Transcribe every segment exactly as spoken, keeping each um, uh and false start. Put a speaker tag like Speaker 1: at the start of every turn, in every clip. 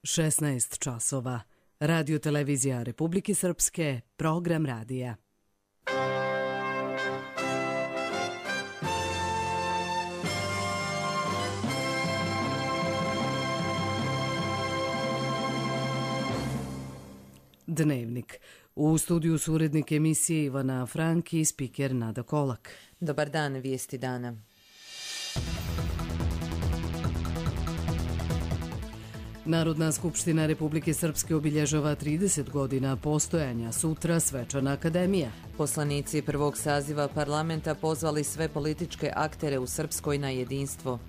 Speaker 1: šesnaest časova. Radio televizija Republike Srpske, program radija. Dnevnik. U studiju su urednik emisije Ivana Frank i spiker Nada Kolak.
Speaker 2: Dobar dan, vijesti dana.
Speaker 1: Narodna skupština Republike Srpske obilježava trideset godina postojanja, sutra svečana akademija.
Speaker 2: Poslanici prvog saziva parlamenta pozvali sve političke aktere u Srpskoj na jedinstvo.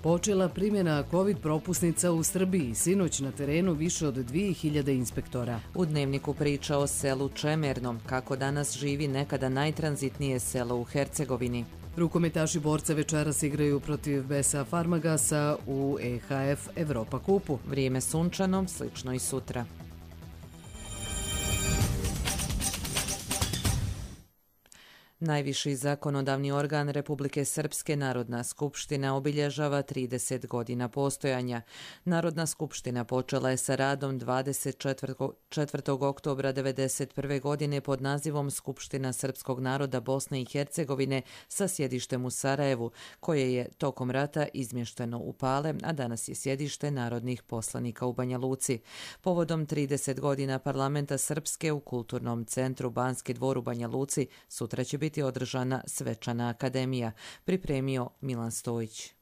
Speaker 1: Počela primjena COVID propusnica u Srbiji, sinoć na terenu više od dvije hiljade inspektora.
Speaker 2: U dnevniku priča o selu Čemernom, kako danas živi nekada najtranzitnije selo u Hercegovini.
Speaker 1: Rukometaši borca večeras igraju protiv B S A Farmagasa u E H F Evropa kupu.
Speaker 2: Vrijeme sunčano, slično i sutra. Najviši zakonodavni organ Republike Srpske, Narodna skupština, obilježava trideset godina postojanja. Narodna skupština počela je sa radom dvadeset četvrtog oktobra devedeset prve. godine pod nazivom Skupština srpskog naroda Bosne i Hercegovine sa sjedištem u Sarajevu, koje je tokom rata izmješteno u Pale, a danas je sjedište narodnih poslanika u Banja Luci. Povodom trideset godina parlamenta Srpske u Kulturnom centru Banski dvor u Banja Luci sutra će biti biti održana svečana akademija, pripremio Milan Stojić.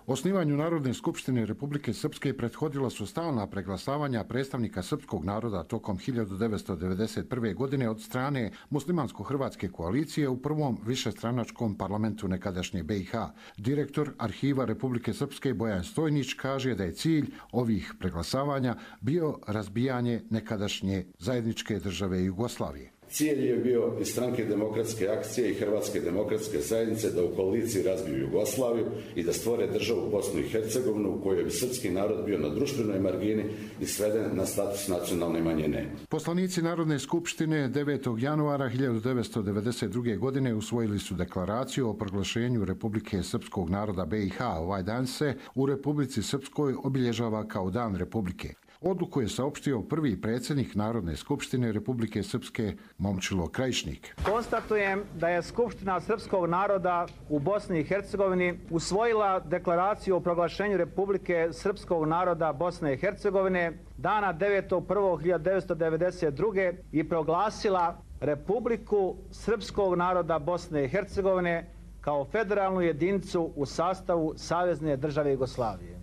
Speaker 3: Osnivanju Narodne skupštine Republike Srpske prethodila su stalna preglasavanja predstavnika srpskog naroda tokom hiljadu devetsto devedeset prve. godine od strane muslimansko-hrvatske koalicije u prvom višestranačkom parlamentu nekadašnje B i H. Direktor Arhiva Republike Srpske Bojan Stojnić kaže da je cilj ovih preglasavanja bio razbijanje nekadašnje zajedničke države Jugoslavije.
Speaker 4: Cilj je bio i Stranke demokratske akcije i Hrvatske demokratske zajednice da u koaliciji razbiju Jugoslaviju i da stvore državu Bosnu i Hercegovinu u kojoj bi srpski narod bio na društvenoj margini i sveden na status nacionalne manjine.
Speaker 3: Poslanici Narodne skupštine devetog januara hiljadu devetsto devedeset druge. godine usvojili su deklaraciju o proglašenju Republike Srpskog naroda B i H. Ovaj dan se u Republici Srpskoj obilježava kao Dan Republike. Odluku je saopštio prvi predsjednik Narodne skupštine Republike Srpske Momčilo Krajišnik.
Speaker 5: Konstatujem da je Skupština srpskog naroda u Bosni i Hercegovini usvojila deklaraciju o proglašenju Republike Srpskog naroda Bosne i Hercegovine dana devetog prvog hiljadu devetsto devedeset druge. i proglasila Republiku Srpskog naroda Bosne i Hercegovine kao federalnu jedinicu u sastavu Savezne države Jugoslavije.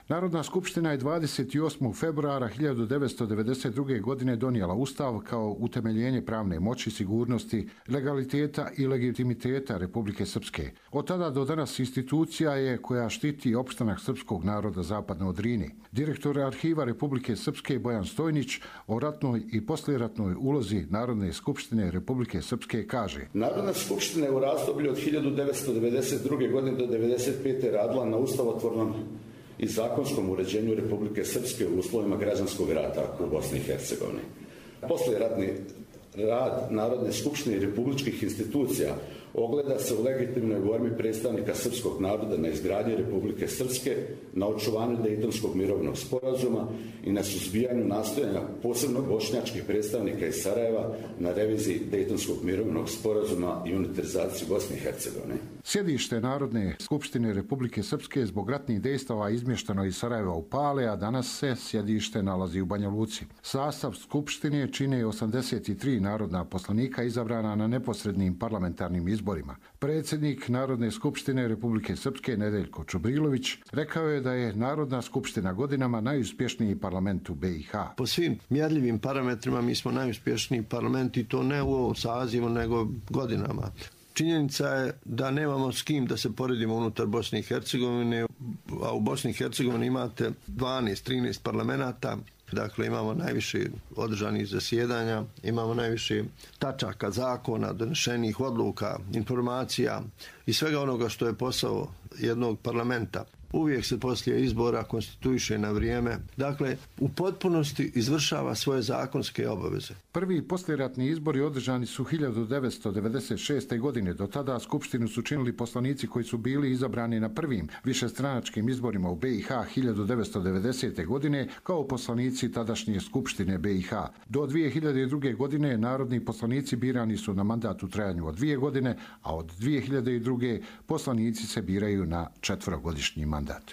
Speaker 3: Narodna skupština je dvadeset osmog februara hiljadu devetsto devedeset druge. godine donijela Ustav kao utemeljenje pravne moći, sigurnosti, legaliteta i legitimiteta Republike Srpske. Od tada do danas institucija je koja štiti opstanak srpskog naroda zapadno od Drine. Direktor Arhiva Republike Srpske Bojan Stojnić o ratnoj i poslijeratnoj ulozi Narodne skupštine Republike Srpske kaže:
Speaker 4: Narodna skupština je u razdoblju od hiljadu devetsto devedeset druge. godine do devedeset pete. radila na ustavotvornom i zakonskom uređenju Republike Srpske u uslovima građanskog rata u Bosni i Hercegovini. Poslijeratni rad Narodne skupštine i republičkih institucija ogleda se u legitimnoj borbi predstavnika srpskog naroda na izgradnji Republike Srpske, na očuvanju Dejtonskog mirovnog sporazuma i na suzbijanju nastojanja posebno bošnjačkih predstavnika iz Sarajeva na reviziji Dejtonskog mirovnog sporazuma i unitarizaciji Bosne i Hercegovine.
Speaker 3: Sjedište Narodne skupštine Republike Srpske zbog ratnih dejstava izmješteno iz Sarajeva u Pale, a danas se sjedište nalazi u Banja Luci. Sastav skupštine čine osamdeset tri narodna poslanika izabrana na neposrednim parlamentarnim izborima. Predsjednik Narodne skupštine Republike Srpske Nedeljko Čubrilović rekao je da je Narodna skupština godinama najuspješniji parlament u B i H.
Speaker 6: Po svim mjerljivim parametrima mi smo najuspješniji parlament i to ne u ovom sazivu nego godinama. Činjenica je da nemamo s kim da se poredimo unutar Bosne i Hercegovine, a u Bosni i Hercegovini imate dvanaest trinaest parlamenata, dakle imamo najviše održanih zasjedanja, imamo najviše tačaka zakona, donešenih odluka, informacija i svega onoga što je posao jednog parlamenta. uvijek se poslije izbora konstituiše na vrijeme. Dakle, u potpunosti izvršava svoje zakonske obaveze.
Speaker 3: Prvi poslijeratni izbori održani su hiljadu devetsto devedeset šeste. godine. Do tada skupštinu su činili poslanici koji su bili izabrani na prvim višestranačkim izborima u B i H hiljadu devetsto devedesete. godine kao poslanici tadašnje skupštine B i H. Do dvije hiljade druge. godine narodni poslanici birani su na mandat u trajanju od dvije godine, a od dvije hiljade druge. poslanici se biraju na četverogodišnji mandat.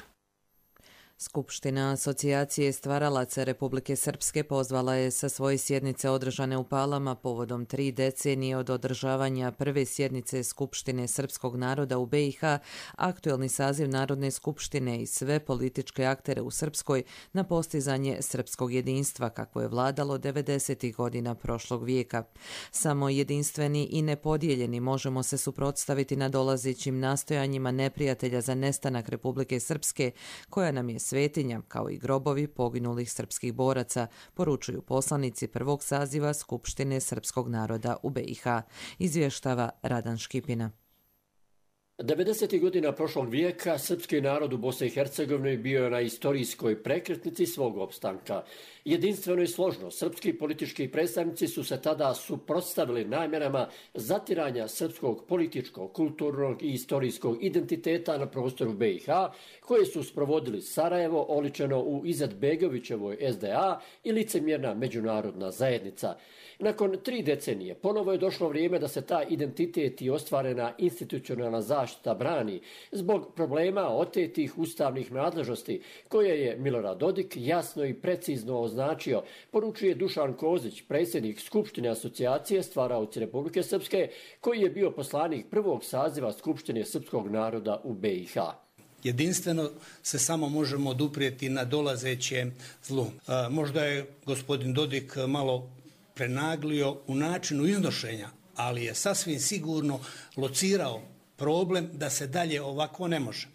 Speaker 2: Skupština Asocijacije stvaralaca Republike Srpske pozvala je sa svoje sjednice održane u Palama povodom tri decenije od održavanja prve sjednice Skupštine srpskog naroda u B i H aktuelni saziv Narodne skupštine i sve političke aktere u Srpskoj na postizanje srpskog jedinstva kakvo je vladalo devedesetih godina prošlog vijeka. Samo jedinstveni i nepodijeljeni možemo se suprotstaviti nadolazećim nastojanjima neprijatelja za nestanak Republike Srpske koja nam je svetinja, kao i grobovi poginulih srpskih boraca, poručuju poslanici prvog saziva Skupštine srpskog naroda u B i H, izvještava Radan Škipina.
Speaker 7: devedesetih godina prošlog vijeka srpski narod u Bosni i Hercegovini bio je na istorijskoj prekretnici svog opstanka. Jedinstveno i složno, srpski politički predstavnici su se tada suprotstavili namjerama zatiranja srpskog političkog, kulturnog i istorijskog identiteta na prostoru B i H, koje su sprovodili Sarajevo, oličeno u Izetbegovićevoj S D A i licemjerna međunarodna zajednica. Nakon tri decenije ponovo je došlo vrijeme da se ta identitet i ostvarena institucionalna zaštita brani zbog problema otetih ustavnih nadležnosti koje je Milorad Dodik jasno i precizno označio, poručuje Dušan Kozić, predsjednik Skupštine Asocijacije stvaraoci Republike Srpske, koji je bio poslanik prvog saziva Skupštine srpskog naroda u B i H.
Speaker 8: Jedinstveno se samo možemo oduprijeti na dolazeće zlu. E, možda je gospodin Dodik malo prenaglio u načinu iznošenja, ali je sasvim sigurno locirao problem da se dalje ovako ne može.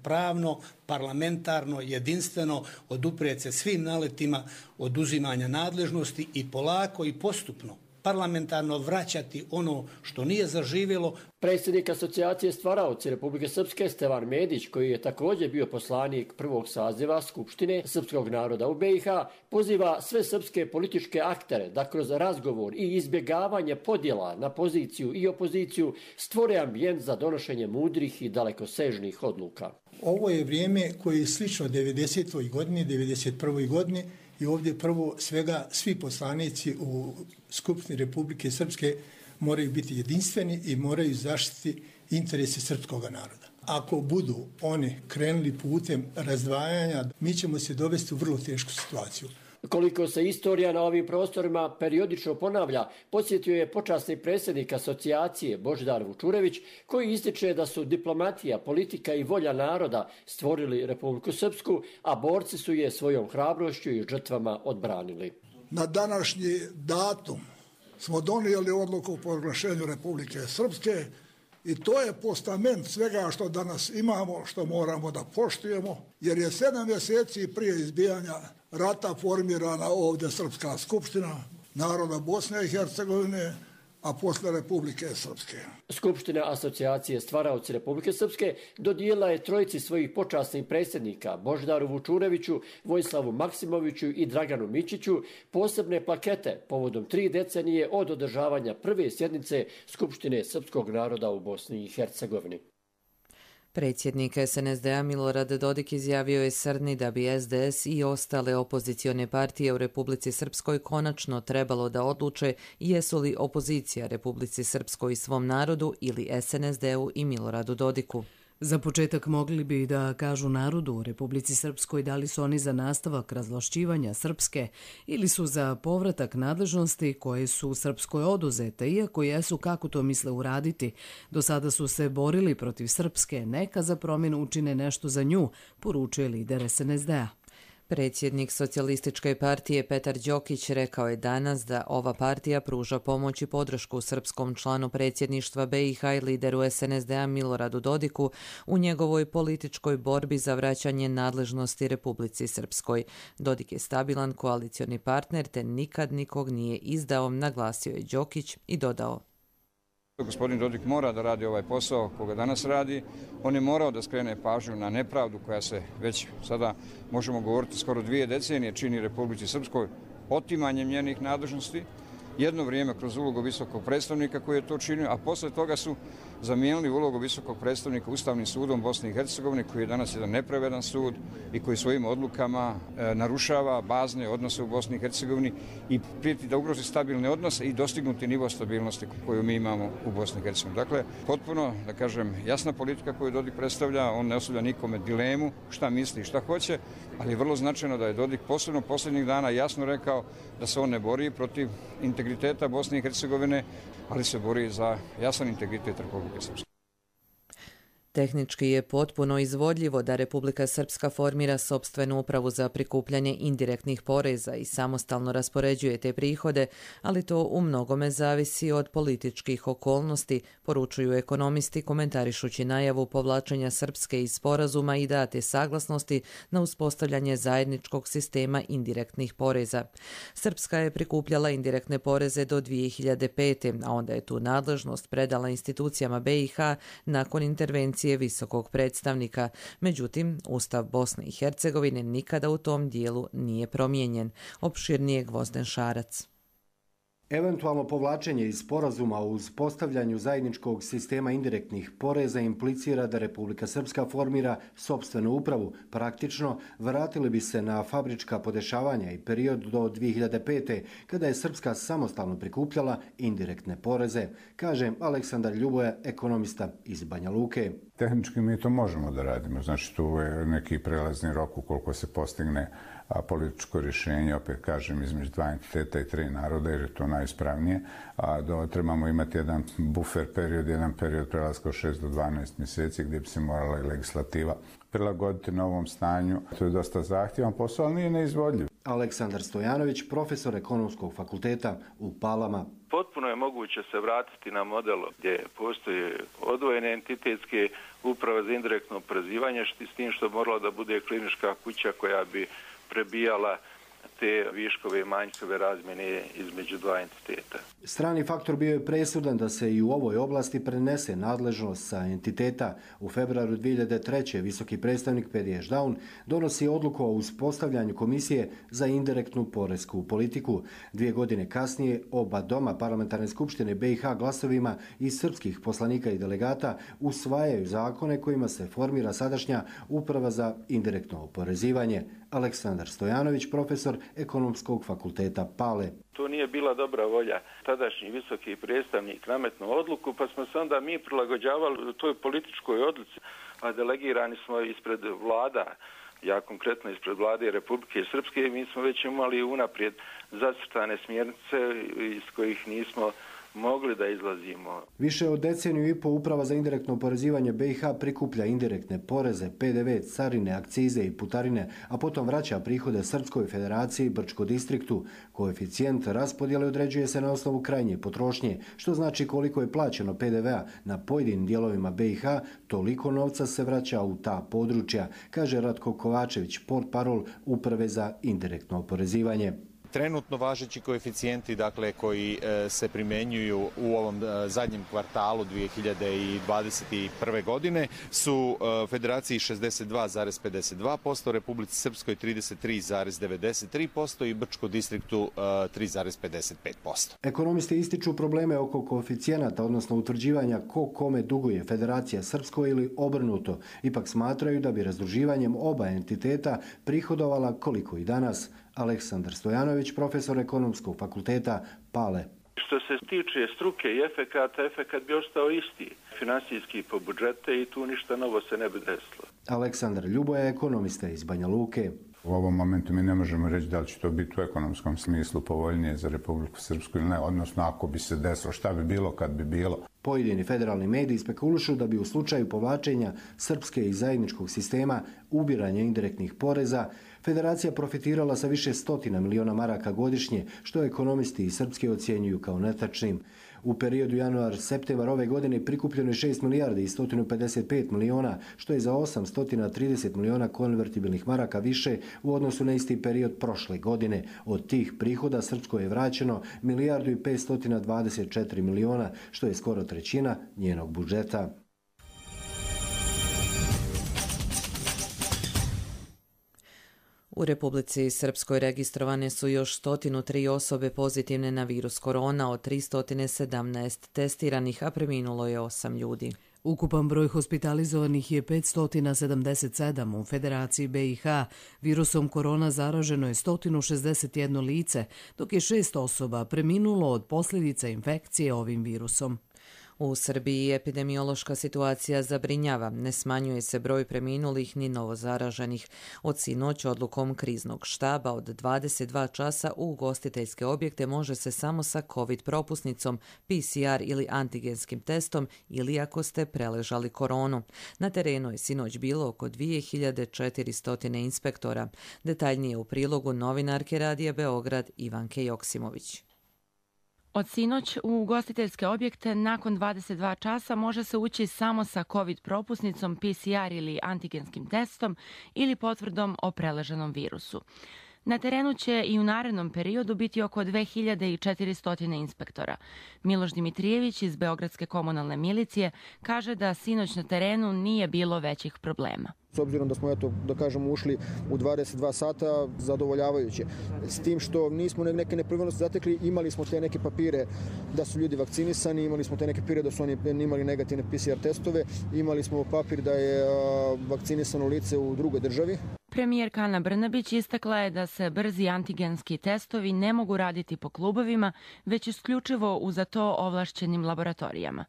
Speaker 8: Pravno, parlamentarno, jedinstveno oduprijeti se svim naletima oduzimanja nadležnosti i polako i postupno parlamentarno vraćati ono što nije zaživjelo.
Speaker 7: Predsjednik Asocijacije stvaraoci Republike Srpske Stevan Medić, koji je također bio poslanik prvog saziva Skupštine srpskog naroda u B i H, poziva sve srpske političke aktere da kroz razgovor i izbjegavanje podjela na poziciju i opoziciju stvore ambijent za donošenje mudrih i dalekosežnih odluka.
Speaker 9: Ovo je vrijeme koje je slično devedesetoj godini, devedeset prvoj godini i ovdje prvo svega svi poslanici u Skupštini Republike Srpske moraju biti jedinstveni i moraju zaštiti interese srpskog naroda. Ako budu oni krenuli putem razdvajanja, mi ćemo se dovesti u vrlo tešku situaciju.
Speaker 7: Koliko se istorija na ovim prostorima periodično ponavlja, podsjetio je počasni predsjednik Asocijacije Božidar Vučurević, koji ističe da su diplomatija, politika i volja naroda stvorili Republiku Srpsku, a borci su je svojom hrabrošću i žrtvama odbranili.
Speaker 10: Na današnji datum smo donijeli odluku o proglašenju Republike Srpske i to je postament svega što danas imamo, što moramo da poštujemo, jer je sedam mjeseci prije izbijanja rata formirana ovdje Srpska skupština naroda Bosne i Hercegovine, a posle Republike Srpske.
Speaker 7: Skupština Asocijacije stvaraoci Republike Srpske dodijelila je trojici svojih počasnih predsjednika, Božidaru Vučureviću, Vojislavu Maksimoviću i Draganu Mićiću, posebne plakete povodom tri decenije od održavanja prve sjednice Skupštine srpskog naroda u Bosni i Hercegovini.
Speaker 2: Predsjednik S N S D-a Milorad Dodik izjavio je srdni da bi S D S i ostale opozicione partije u Republici Srpskoj konačno trebalo da odluče jesu li opozicija Republici Srpskoj i svom narodu ili S N S D-u i Miloradu Dodiku.
Speaker 1: Za početak mogli bi da kažu narodu u Republici Srpskoj da li su oni za nastavak razvlašćivanja Srpske ili su za povratak nadležnosti koje su Srpskoj oduzete, iako jesu kako to misle uraditi. Do sada su se borili protiv Srpske, neka za promjenu učine nešto za nju, poručuje lider S N S D-a.
Speaker 2: Predsjednik Socijalističke partije Petar Đokić rekao je danas da ova partija pruža pomoć i podršku srpskom članu predsjedništva B i H i lideru S N S D-a Miloradu Dodiku u njegovoj političkoj borbi za vraćanje nadležnosti Republici Srpskoj. Dodik je stabilan koalicioni partner te nikad nikog nije izdao, naglasio je Đokić i dodao.
Speaker 11: Gospodin Dodik mora da radi ovaj posao koga danas radi. On je morao da skrene pažnju na nepravdu koja se već sada, možemo govoriti, skoro dvije decenije čini Republici Srpskoj otimanjem njenih nadležnosti. Jedno vrijeme kroz ulogu visokog predstavnika koji je to činio, a posle toga su zamijenili ulogu visokog predstavnika Ustavnim sudom Bosne i Hercegovine, koji je danas jedan nepravedan sud i koji svojim odlukama e, narušava bazne odnose u Bosni i Hercegovini i prijeti da ugrozi stabilne odnose i dostignuti nivo stabilnosti koju mi imamo u Bosni i Hercegovini. Dakle, potpuno, da kažem, jasna politika koju Dodik predstavlja, on ne ostavlja nikome dilemu šta misli i šta hoće, ali je vrlo značajno da je Dodik posebno posljednjih dana jasno rekao da se on ne bori protiv integriteta Bosne i Hercegovine, ali se bori za jasan integritet Republike Srpske.
Speaker 2: Tehnički je potpuno izvodljivo da Republika Srpska formira sopstvenu upravu za prikupljanje indirektnih poreza i samostalno raspoređuje te prihode, ali to u mnogome zavisi od političkih okolnosti, poručuju ekonomisti komentarišući najavu povlačenja Srpske iz sporazuma i date saglasnosti na uspostavljanje zajedničkog sistema indirektnih poreza. Srpska je prikupljala indirektne poreze do dvije hiljade pete. a onda je tu nadležnost predala institucijama B i H nakon intervencije visokog predstavnika. Međutim, Ustav Bosne i Hercegovine nikada u tom dijelu nije promijenjen. Opširnije Gvozden Šarac.
Speaker 12: Eventualno povlačenje iz sporazuma o uspostavljanju zajedničkog sistema indirektnih poreza implicira da Republika Srpska formira sopstvenu upravu. Praktično, vratili bi se na fabrička podešavanja i period do dvije hiljade pete. kada je Srpska samostalno prikupljala indirektne poreze, kaže Aleksandar Ljuboja, ekonomista iz Banja Luke.
Speaker 13: Tehnički mi to možemo da radimo, znači tu je neki prelazni rok ukoliko se postigne a političko rješenje, opet kažem, između dva entiteta i tri naroda, jer je to najispravnije. A do, trebamo imati jedan buffer period, jedan period prelaska od šest do dvanaest mjeseci gdje bi se morala i legislativa prilagoditi novom stanju. To je dosta zahtjevan posao, ali nije neizvodljiv.
Speaker 12: Aleksandar Stojanović, profesor ekonomskog fakulteta u Palama.
Speaker 14: Potpuno je moguće se vratiti na model gdje postoje odvojene entitetske uprave za indirektno oporezivanje, s tim što bi morala da bude klinička kuća koja bi prebijala te viškove i manjkove razmjene između dva entiteta.
Speaker 12: Strani faktor bio je presudan da se i u ovoj oblasti prenese nadležnost sa entiteta. U februaru dvije hiljade treće. visoki predstavnik Pedi Ešdaun donosi odluku o uspostavljanju komisije za indirektnu poresku politiku. Dvije godine kasnije oba doma parlamentarne skupštine B i H glasovima i srpskih poslanika i delegata usvajaju zakone kojima se formira sadašnja uprava za indirektno oporezivanje. Aleksandar Stojanović, profesor ekonomskog fakulteta Pale.
Speaker 14: To nije bila dobra volja. Tadašnji visoki predstavnik nametnuo odluku, pa smo se onda mi prilagođavali toj političkoj odluci, a delegirani smo ispred vlada, ja konkretno ispred vlade Republike Srpske, mi smo već imali unaprijed zacrtane smjernice iz kojih nismo mogli da izlazimo.
Speaker 12: Više od deceniju i po uprava za indirektno oporezivanje B i H prikuplja indirektne poreze, P D V, carine, akcize i putarine, a potom vraća prihode Srpskoj federaciji i Brčko distriktu. Koeficijent raspodjele određuje se na osnovu krajnje potrošnje, što znači koliko je plaćeno P D V-a na pojedinim dijelovima B i H, toliko novca se vraća u ta područja, kaže Ratko Kovačević, portparol Uprave za indirektno oporezivanje.
Speaker 15: Trenutno važeći koeficijenti, dakle, koji e, se primjenjuju u ovom e, zadnjem kvartalu dvije hiljade dvadeset prve. godine su e, Federaciji šezdeset dva zarez pedeset dva posto, Republici Srpskoj trideset tri zarez devedeset tri posto i Brčko distriktu e, tri zarez pedeset pet posto.
Speaker 12: Ekonomisti ističu probleme oko koeficijenata, odnosno utvrđivanja ko kome duguje Federacija Srpskoj ili obrnuto. Ipak smatraju da bi razdruživanjem oba entiteta prihodovala koliko i danas. Aleksandar Stojanović, profesor ekonomskog fakulteta Pale.
Speaker 14: Što se tiče struke i efekata, efekat bi ostao isti. Finansijski po budžete i tu ništa novo se ne bi desilo.
Speaker 12: Aleksandar Ljuboja, ekonomista iz Banja Luke.
Speaker 13: U ovom momentu mi ne možemo reći da li će to biti u ekonomskom smislu povoljnije za Republiku Srpsku ili ne, odnosno ako bi se desilo, šta bi bilo kad bi bilo.
Speaker 12: Pojedini federalni mediji spekulušu da bi u slučaju povlačenja Srpske iz zajedničkog sistema ubiranja indirektnih poreza Federacija profitirala sa više stotina miliona maraka godišnje, što ekonomisti iz Srpske ocjenjuju kao netačnim. U periodu januar-septembar ove godine prikupljeno je šest milijardi i sto pedeset pet miliona, što je za osamsto trideset miliona konvertibilnih maraka više u odnosu na isti period prošle godine. Od tih prihoda Srpskoj je vraćeno milijardu i petsto dvadeset četiri miliona, što je skoro trećina njenog budžeta.
Speaker 2: U Republici Srpskoj registrovane su još sto tri osobe pozitivne na virus korona, od tristo sedamnaest testiranih, a preminulo je osam ljudi.
Speaker 1: Ukupan broj hospitalizovanih je petsto sedamdeset sedam. U Federaciji B i H virusom korona zaraženo je sto šezdeset jedno lice, dok je šest osoba preminulo od posljedica infekcije ovim virusom.
Speaker 2: U Srbiji epidemiološka situacija zabrinjava, ne smanjuje se broj preminulih ni novozaraženih. Od sinoć odlukom kriznog štaba od dvadeset dva časa u ugostiteljske objekte može se samo sa COVID propusnicom, P C R ili antigenskim testom ili ako ste preležali koronu. Na terenu je sinoć bilo oko dvije hiljade četiristo inspektora. Detaljnije u prilogu novinarke Radija Beograd Ivanke Joksimović.
Speaker 16: Od sinoć u ugostiteljske objekte nakon dvadeset dva časa može se ući samo sa COVID propusnicom, P C R ili antigenskim testom ili potvrdom o preleženom virusu. Na terenu će i u narednom periodu biti oko dve hiljade četiristo inspektora. Miloš Dimitrijević iz Beogradske komunalne milicije kaže da sinoć na terenu nije bilo većih problema.
Speaker 17: S obzirom da smo, eto, da kažemo, ušli u dvadeset dva sata, zadovoljavajuće. S tim što nismo neke nepravilnosti zatekli, imali smo te neke papire da su ljudi vakcinisani, imali smo te neke papire da su oni imali negativne P C R testove, imali smo papir da je a, vakcinisano lice u drugoj državi.
Speaker 16: Premijerka Ana Brnabić istakla je da se brzi antigenski testovi ne mogu raditi po klubovima, već isključivo u za to ovlašćenim laboratorijama.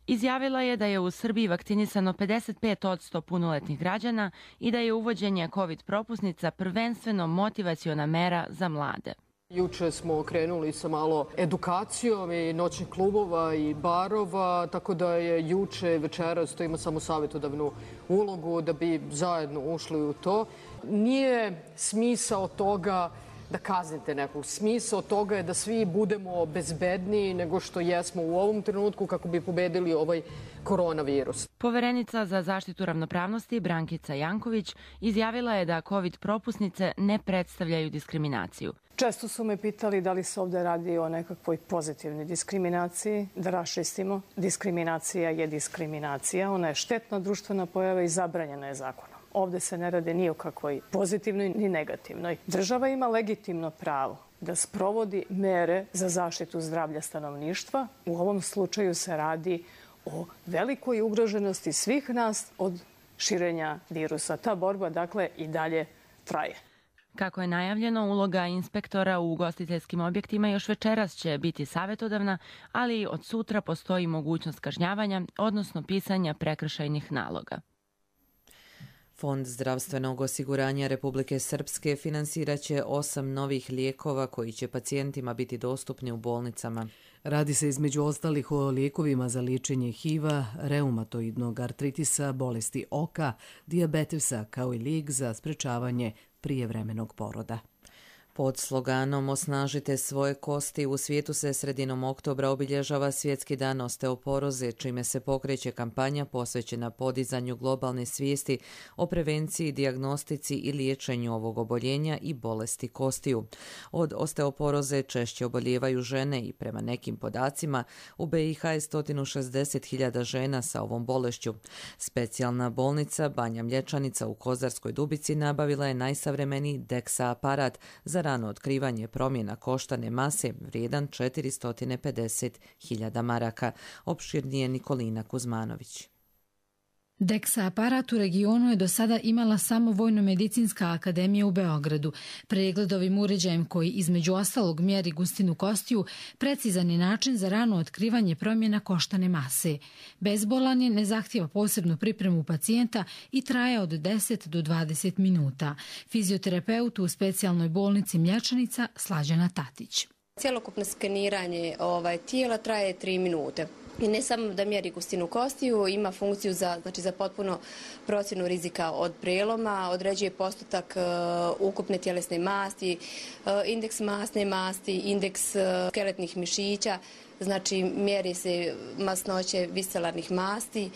Speaker 16: Izjavila je da je u Srbiji vakcinisano pedeset pet posto punoletnih građana i da je uvođenje COVID propusnica prvenstveno motivaciona mera za mlade.
Speaker 18: Juče smo krenuli sa malo edukacijom i noćnih klubova i barova, tako da je juče i večeras to ima samo savjetodavnu ulogu da bi zajedno ušli u to. Nije smisao toga da kaznite nekog. Smisao toga je da svi budemo bezbedniji nego što jesmo u ovom trenutku kako bi pobedili ovaj koronavirus.
Speaker 16: Poverenica za zaštitu ravnopravnosti Brankica Janković izjavila je da COVID propusnice ne predstavljaju diskriminaciju.
Speaker 19: Često su me pitali da li se ovdje radi o nekakvoj pozitivnoj diskriminaciji, da raščistimo. Diskriminacija je diskriminacija, ona je štetna društvena pojava i zabranjena je zakonom. Ovdje se ne rade ni o kakvoj pozitivnoj ni negativnoj. Država ima legitimno pravo da sprovodi mere za zaštitu zdravlja stanovništva. U ovom slučaju se radi o velikoj ugroženosti svih nas od širenja virusa. Ta borba, dakle, i dalje traje.
Speaker 16: Kako je najavljeno, uloga inspektora u ugostiteljskim objektima još večeras će biti savjetodavna, ali od sutra postoji mogućnost kažnjavanja, odnosno pisanja prekršajnih naloga.
Speaker 2: Fond zdravstvenog osiguranja Republike Srpske finansirat će osam novih lijekova koji će pacijentima biti dostupni u bolnicama.
Speaker 1: Radi se između ostalih o lijekovima za liječenje H I V-a, reumatoidnog artritisa, bolesti oka, dijabetesa kao i lijek za sprečavanje prijevremenog poroda.
Speaker 2: Pod sloganom Osnažite svoje kosti u svijetu se sredinom oktobra obilježava Svjetski dan osteoporoze, čime se pokreće kampanja posvećena podizanju globalne svijesti o prevenciji, dijagnostici i liječenju ovog oboljenja i bolesti kostiju. Od osteoporoze češće obolijevaju žene i prema nekim podacima u B i H je sto šezdeset hiljada žena sa ovom bolešću. Specijalna bolnica Banja Mlječanica u Kozarskoj Dubici nabavila je najsavremeniji Dexa aparat za rano otkrivanje promjena koštane mase vrijedan četiristo pedeset hiljada maraka. Opširnije Nikolina Kuzmanović.
Speaker 20: Dexa aparat u regionu je do sada imala samo Vojno-medicinska akademija u Beogradu. Pregled ovim uređajem koji između ostalog mjeri gustinu kostiju precizan je način za rano otkrivanje promjena koštane mase. Bezbolan je, ne zahtijeva posebnu pripremu pacijenta i traje od deset do dvadeset minuta. Fizioterapeut u specijalnoj bolnici Mlječanica Slađana Tatić.
Speaker 21: Cjelokupno skeniranje ovaj, tijela traje tri minute. I ne samo da mjeri gustinu kostiju, ima funkciju za, znači za potpuno procjenu rizika od preloma, određuje postotak uh, ukupne tjelesne masti, uh, indeks masne masti, indeks uh, skeletnih mišića, znači mjeri se masnoće viscelarnih masti,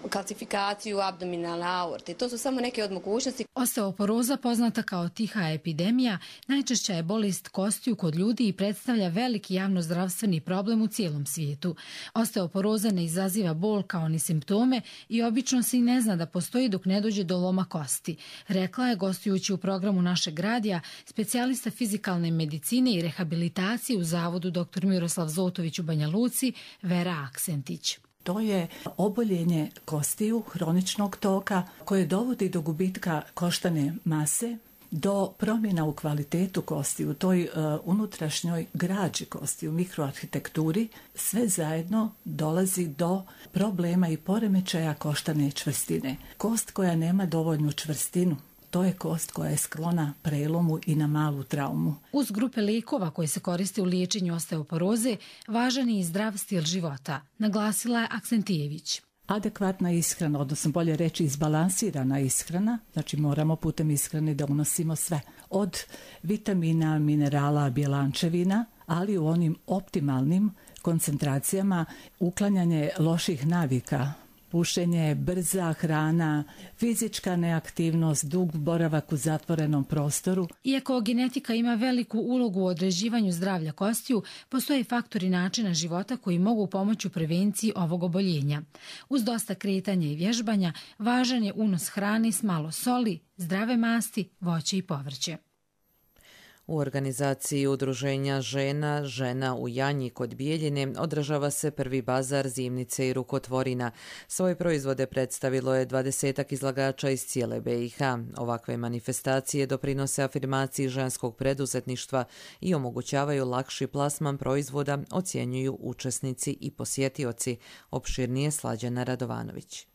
Speaker 21: kalcifikaciju abdominalne aorte. To su samo neke od mogućnosti.
Speaker 20: Osteoporoza, poznata kao tiha epidemija, najčešća je bolest kostiju kod ljudi i predstavlja veliki javnozdravstveni problem u cijelom svijetu. Osteoporoza ne izaziva bol kao ni simptome i obično se i ne zna da postoji dok ne dođe do loma kosti, rekla je gostujući u programu našeg radija specijalista fizikalne medicine i rehabilitacije u Zavodu doktor Miroslav Zotović u Banja Luci, Vera Aksentić.
Speaker 5: To je oboljenje kostiju, hroničnog toka, koje dovodi do gubitka koštane mase, do promjena u kvalitetu kosti, u toj uh, unutrašnjoj građi kosti, u mikroarhitekturi. Sve zajedno dolazi do problema i poremećaja koštane čvrstine. Kost koja nema dovoljnu čvrstinu, to je kost koja je sklona prelomu i na malu traumu.
Speaker 20: Uz grupe lijekova koje se koriste u liječenju osteoporoze, važan je i zdrav stil života, naglasila je Aksentijević.
Speaker 5: Adekvatna ishrana, odnosno bolje reći izbalansirana ishrana, znači moramo putem ishrane da unosimo sve. Od vitamina, minerala, bjelančevina, ali u onim optimalnim koncentracijama, uklanjanje loših navika, pušenje, brza hrana, fizička neaktivnost, dug boravak u zatvorenom prostoru.
Speaker 20: Iako genetika ima veliku ulogu u određivanju zdravlja kostiju, postoje faktori načina života koji mogu pomoći u prevenciji ovog oboljenja. Uz dosta kretanja i vježbanja, važan je unos hrane s malo soli, zdrave masti, voće i povrće.
Speaker 2: U organizaciji udruženja žena, žena u Janji kod Bijeljine održava se prvi bazar zimnice i rukotvorina. Svoje proizvode predstavilo je dvadesetak izlagača iz cijele B i H. Ovakve manifestacije doprinose afirmaciji ženskog preduzetništva i omogućavaju lakši plasman proizvoda, ocjenjuju učesnici i posjetioci. Opširnije Slađana Radovanović.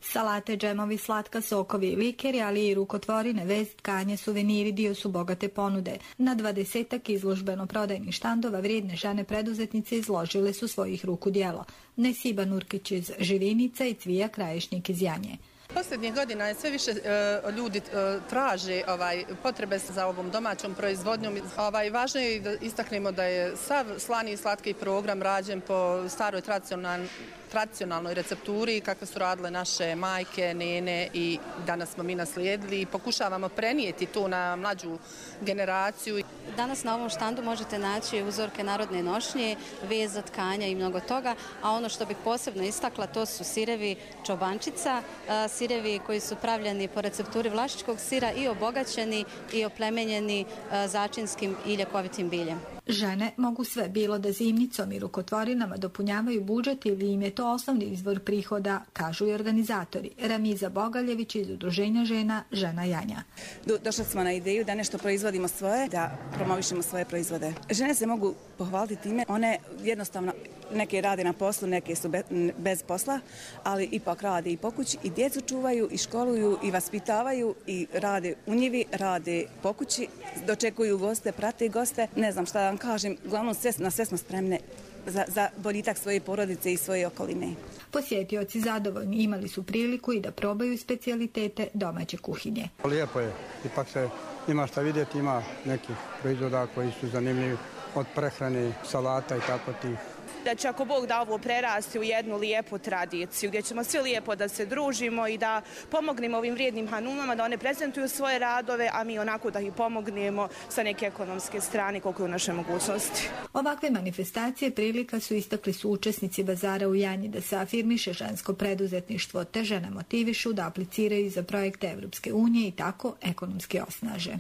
Speaker 22: Salate, džemovi, slatka, sokovi, likeri, ali i rukotvorine, vez, tkanje, suveniri dio su bogate ponude. Na dvadesetak izložbeno prodajnih štandova vrijedne žene preduzetnice izložile su svojih ruku djela. Nesiba Nurkić iz Živinica i Cvija Krajišnik iz Janje.
Speaker 23: Posljednjih godina je sve više uh, ljudi uh, traže ovaj, potrebe za ovom domaćom proizvodnjom. Ovaj, važno je da istaknemo da je sav slani i slatki program rađen po staroj tradicionalnoj tradicionalnoj recepturi kakve su radile naše majke, nene i danas smo mi naslijedili i pokušavamo prenijeti to na mlađu generaciju.
Speaker 24: Danas na ovom štandu možete naći uzorke narodne nošnje, veza, tkanja i mnogo toga, a ono što bih posebno istakla to su sirevi čobančica, sirevi koji su pravljeni po recepturi vlašičkog sira i obogaćeni i oplemenjeni začinskim i ljekovitim biljem.
Speaker 22: Žene mogu sve, bilo da zimnicom i rukotvorinama dopunjavaju budžet ili im je to osnovni izvor prihoda, kažu i organizatori. Ramiza Bogaljević iz udruženja žena Žena Janja.
Speaker 25: Do, došli smo na ideju da nešto proizvodimo svoje, da promovišemo svoje proizvode. Žene se mogu pohvaliti time, one jednostavno neke rade na poslu, neke su be, bez posla, ali ipak rade i po kući i djecu čuvaju i školuju i vaspitavaju i rade u njivi, rade po kući, dočekuju goste, prate goste, ne znam šta da vam kažem, uglavnom sve, na sve smo spremne za, za boljitak svoje porodice i svoje okoline.
Speaker 22: Posjetioci zadovoljni imali su priliku i da probaju specijalitete domaće kuhinje.
Speaker 26: Lijepo je, ipak se ima šta vidjeti, ima nekih proizvoda koji su zanimljivi od prehrane, salata i tako tih.
Speaker 27: Da će ako Bog da ovo prerasti u jednu lijepu tradiciju gdje ćemo svi lijepo da se družimo i da pomognemo ovim vrijednim hanumama da one prezentuju svoje radove, a mi onako da ih pomognemo sa neke ekonomske strane koliko je u našoj mogućnosti.
Speaker 22: Ovakve manifestacije prilika su istakli su učesnici bazara u Janji da se afirmiše žensko preduzetništvo te žene motivišu da apliciraju za projekte Evropske unije i tako ekonomski osnaže.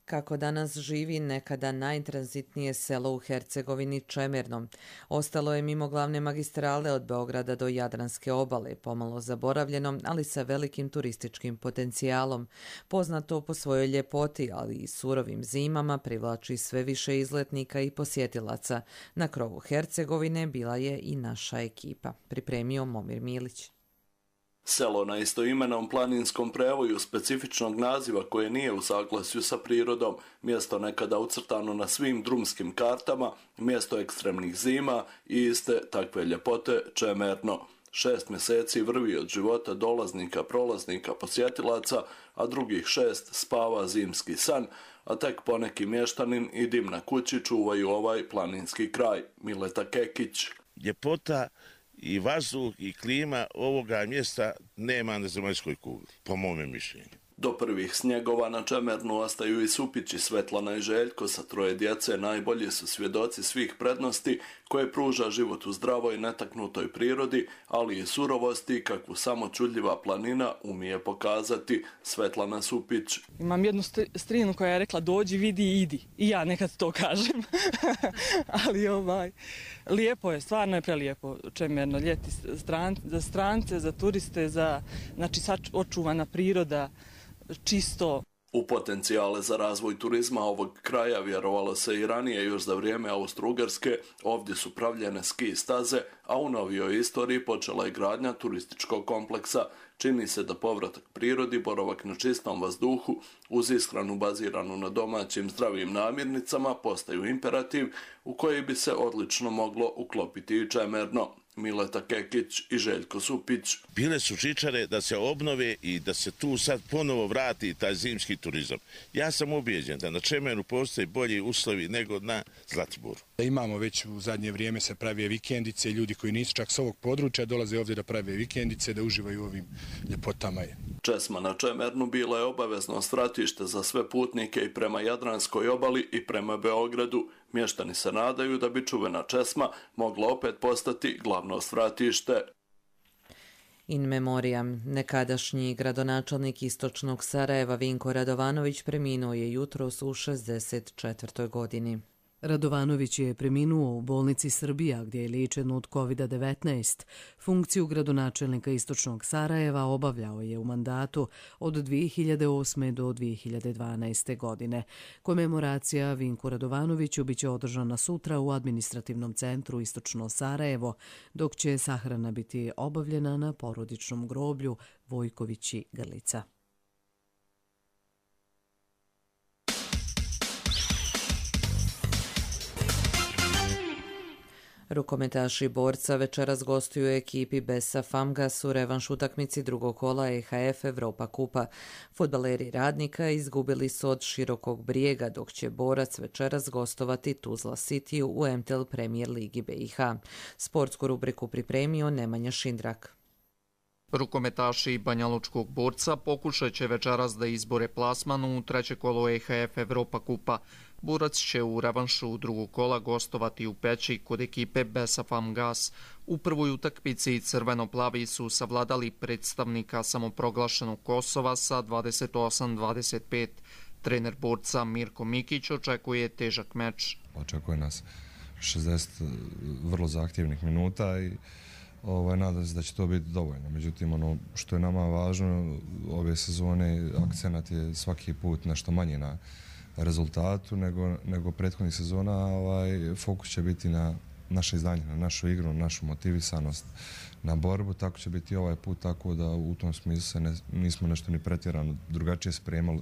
Speaker 2: Kako danas živi nekada najtranzitnije selo u Hercegovini Čemerno. Ostalo je mimo glavne magistrale od Beograda do Jadranske obale, pomalo zaboravljeno, ali sa velikim turističkim potencijalom. Poznato po svojoj ljepoti, ali i surovim zimama, privlači sve više izletnika i posjetilaca. Na krovu Hercegovine bila je i naša ekipa. Pripremio Momir Milić.
Speaker 28: Selo na istoimenom planinskom prevoju specifičnog naziva koje nije u saglasju sa prirodom, mjesto nekada ucrtano na svim drumskim kartama, mjesto ekstremnih zima i iste takve ljepote Čemerno. Šest mjeseci vrvi od života dolaznika, prolaznika, posjetilaca, a drugih šest spava zimski san. a tek poneki mještanin i dim na kući čuvaju ovaj planinski kraj. Mileta Kekić.
Speaker 3: Ljepota i vazduh i klima ovoga mjesta nema na zemaljskoj kugli, po mome mišljenju.
Speaker 28: Do prvih snjegova na Čemernu ostaju i Supići. Svetlana i Željko sa troje djece najbolji su svjedoci svih prednosti koje pruža život u zdravoj netaknutoj prirodi, ali i surovosti kakvu samo čudljiva planina umije pokazati. Svetlana Supić.
Speaker 4: Imam jednu strinu koja je rekla dođi, vidi i idi. I ja nekad to kažem. Ali ovaj, lijepo je, stvarno je prelijepo Čemerno. Ljeti stran, za strance, za turiste, za, znači očuvana priroda, čisto.
Speaker 28: U potencijale za razvoj turizma ovog kraja vjerovalo se i ranije, još za vrijeme Austro-Ugarske. Ovdje su pravljene ski staze, a u novijoj istoriji počela je gradnja turističkog kompleksa. Čini se da povratak prirodi, boravak na čistom vazduhu, uz ishranu baziranu na domaćim zdravim namirnicama postaju imperativ u koji bi se odlično moglo uklopiti i Čemerno. Mileta Kekić i Željko Supić.
Speaker 3: Bile su žičare da se obnove i da se tu sad ponovo vrati taj zimski turizam. Ja sam ubijeđen da na Čemernu postoji bolji uslovi nego na Zlatiboru.
Speaker 6: Imamo već u zadnje vrijeme se prave vikendice, ljudi koji nisu čak s ovog područja dolaze ovdje da prave vikendice, da uživaju u ovim ljepotama.
Speaker 28: Česma na Čemernu bila je obavezno stratište za sve putnike i prema Jadranskoj obali i prema Beogradu. Mještani se nadaju da bi čuvena Česma mogla opet postati glavno stratište.
Speaker 2: In memoriam, nekadašnji gradonačelnik istočnog Sarajeva Vinko Radovanović preminuo je jutros u šezdeset četvrtoj godini.
Speaker 1: Radovanović je preminuo u bolnici Srbija gdje je liječen od kovid devetnaest. Funkciju gradonačelnika istočnog Sarajeva obavljao je u mandatu od dvije hiljade osme. do dvije hiljade dvanaeste. godine. Komemoracija Vinku Radovanoviću biće održana sutra u administrativnom centru Istočno Sarajevo, dok će sahrana biti obavljena na porodičnom groblju Vojkovići Grlica.
Speaker 2: Rukometaši Borca večeras gostuju ekipi Besa Famgas u revanš utakmici drugog kola E H F Evropa kupa. Fudbaleri Radnika izgubili su od Širokog Brijega, dok će Borac večeras gostovati Tuzla City u M T L Premier Ligi B i H. Sportsku rubriku pripremio Nemanja Šindrak.
Speaker 7: Rukometaši Banjalučkog Borca pokušat će večeras da izbore plasman u treće kolo E H F Evropa kupa. Borac će u revanšu drugog kola gostovati u Peći kod ekipe Besa Famgas. U prvoj utakmici crveno-plavi su savladali predstavnika samoproglašenog Kosova sa dvadeset osam dvadeset pet. Trener Borca Mirko Mikić očekuje težak meč.
Speaker 8: Očekuje nas šezdeset vrlo zahtjevnih minuta i Ovaj, nadam se da će to biti dovoljno. Međutim, ono što je nama važno ove sezone, akcenat je svaki put nešto manji na rezultatu nego, nego prethodnih sezona. Ovaj, fokus će biti na naše izdanje, na našu igru, na našu motivisanost, na borbu. Tako će biti ovaj put, tako da u tom smislu se ne, nismo nešto ni pretjerano drugačije spremali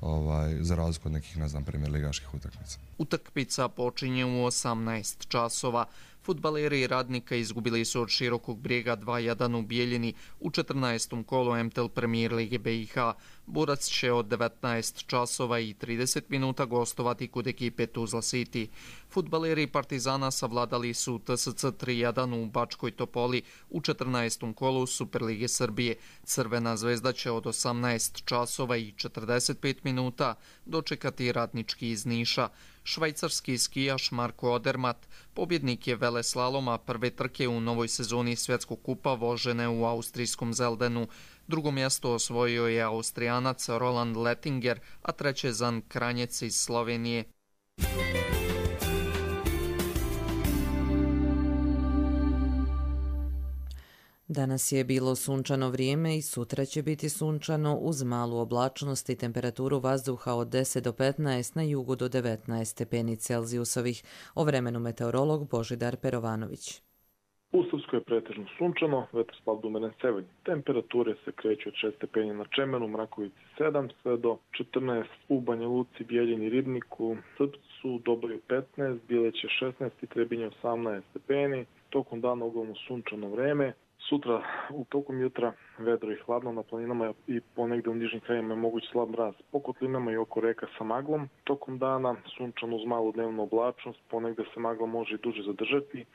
Speaker 8: ovaj, za razliku od nekih, ne znam, premier ligaških utakmica.
Speaker 7: Utakmica počinje u osamnaest časova. Fudbaleri Radnika izgubili su od Širokog Brijega dva jedan u Bijeljini u četrnaestom kolu M T L Premier Lige B i H. Borac će od devetnaest časova i trideset minuta gostovati kod ekipe Tuzla City. Fudbaleri Partizana savladali su T S C tri jedan u Bačkoj Topoli u četrnaestom kolu Superlige Srbije. Crvena zvezda će od osamnaest časova i četrdeset pet minuta dočekati Radnički iz Niša. Švajcarski skijaš Marko Odermatt pobjednik je veleslaloma prve trke u novoj sezoni Svjetskog kupa vožene u austrijskom Zeldenu. Drugo mjesto osvojio je Austrijanac Roland Lettinger, a treće Zan Kranjec iz Slovenije.
Speaker 2: Danas je bilo sunčano vrijeme i sutra će biti sunčano uz malu oblačnost i temperaturu vazduha od deset do petnaest, na jugu do devetnaest stepeni Celzijusovih. O vremenu meteorolog Božidar Perovanović.
Speaker 9: U Srpskoj je pretežno sunčano, vetar slab do umeren severni. Temperature se kreću od šest stepeni na Čemenu, Mrakovici sedam, sve do četrnaest u Banja Luci, Bijeljini, Ribniku, Srpcu, Doboj petnaest, Bileće šesnaest i Trebinje osamnaest stepeni. Tokom dana uglavnom sunčano vreme. Sutra u tokom jutra vedro i hladno na planinama i ponegde u nižim krajima je moguć slab mraz. Po kotlinama i oko reka sa maglom. Tokom dana sunčano uz malu dnevnu oblačnost, ponegde se magla može i duže zadržati.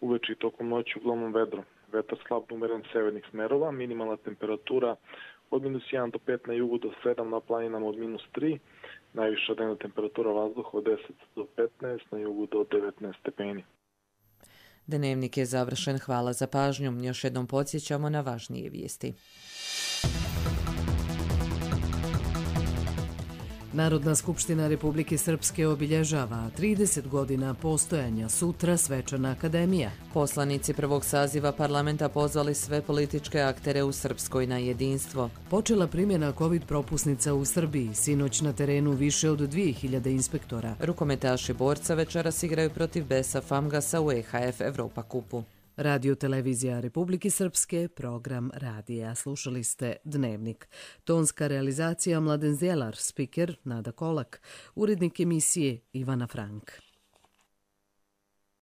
Speaker 9: Uveče i tokom noći uglavnom vedro. Vetar slab umeren severnih smerova, minimalna temperatura od minus jedan do pet na jugu do sedam, na planinama od minus tri. Najviša dnevna temperatura vazduha od deset do petnaest, na jugu do devetnaest stepeni.
Speaker 2: Dnevnik je završen. Hvala za pažnju. Još jednom podsjećamo na važnije vijesti.
Speaker 1: Narodna skupština Republike Srpske obilježava trideset godina postojanja, sutra svečana akademija.
Speaker 2: Poslanici prvog saziva parlamenta pozvali sve političke aktere u Srpskoj na jedinstvo.
Speaker 1: Počela primjena COVID propusnica u Srbiji, sinoć na terenu više od dvije hiljade inspektora.
Speaker 2: Rukometaši borca večeras igraju protiv Besa Famgasa u E H F Evropa kupu.
Speaker 1: Radio televizija Republike Srpske, program radija. Slušali ste Dnevnik. Tonska realizacija Mladen Zjelar, spiker Nada Kolak, urednik emisije Ivana Frank.